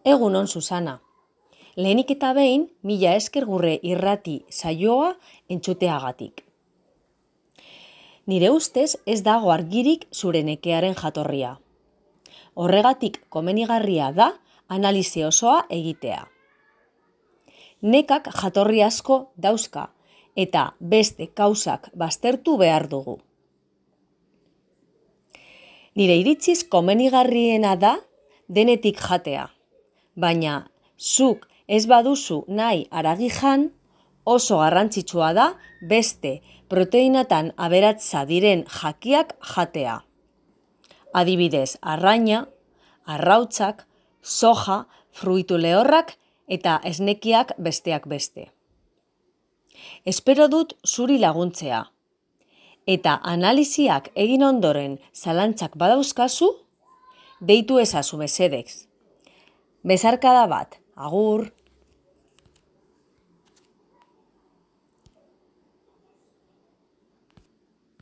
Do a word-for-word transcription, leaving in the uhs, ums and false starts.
Egunon, Susana. Lehenik eta behin, mila esker gure irrati saioa entzuteagatik. Nire ustez ez dago argirik zure nekearen jatorria. Horregatik komenigarria da analisi osoa egitea. Nekak jatorri asko dauzka eta beste kausak baztertu behar dugu. Nire iritziz komenigarriena da denetik jatea, baina zuk ez baduzu nahi haragi jan, oso garrantzitsua da beste proteinatan aberatsa diren jakiak jatea. Adibidez, arraina, arrautzak, soja, fruitu lehorrak eta esnekiak besteak beste. Espero dut zuri laguntzea. Eta analiziak egin ondoren zalantzak badauzkazu, deitu ezazu mesedez. Besarkada bat, agur!